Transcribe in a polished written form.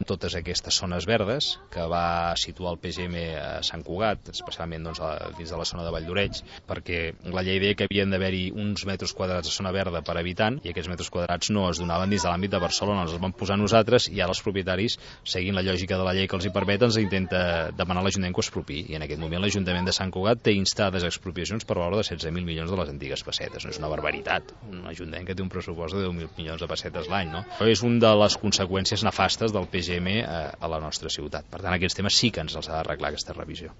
totes aquestes zones verdes que va situar el PGM a Sant Cugat, especialment dins de la zona de Valldoreix, perquè la llei deia que havien d'haver-hi uns metres quadrats de zona verda per habitant i aquests metres quadrats no es donaven dins de l'àmbit de Barcelona, els vam posar nosaltres i ara els propietaris, seguint la lògica de la llei que els hi permet, ens intenta demanar a l'Ajuntament que ho expropiï, i en aquest moment l'Ajuntament de Sant Cugat té instades expropiacions per valor de 16.000 milions de les antigues pessetes. No és una barbaritat, un Ajuntament que té un pressupost de 10.000 milions de pessetes l'any, no? Però és una de les conseqüències nefastes del PGM a la nostra ciutat. Per tant, aquests temes sí que ens els ha d'arreglar aquesta revisió.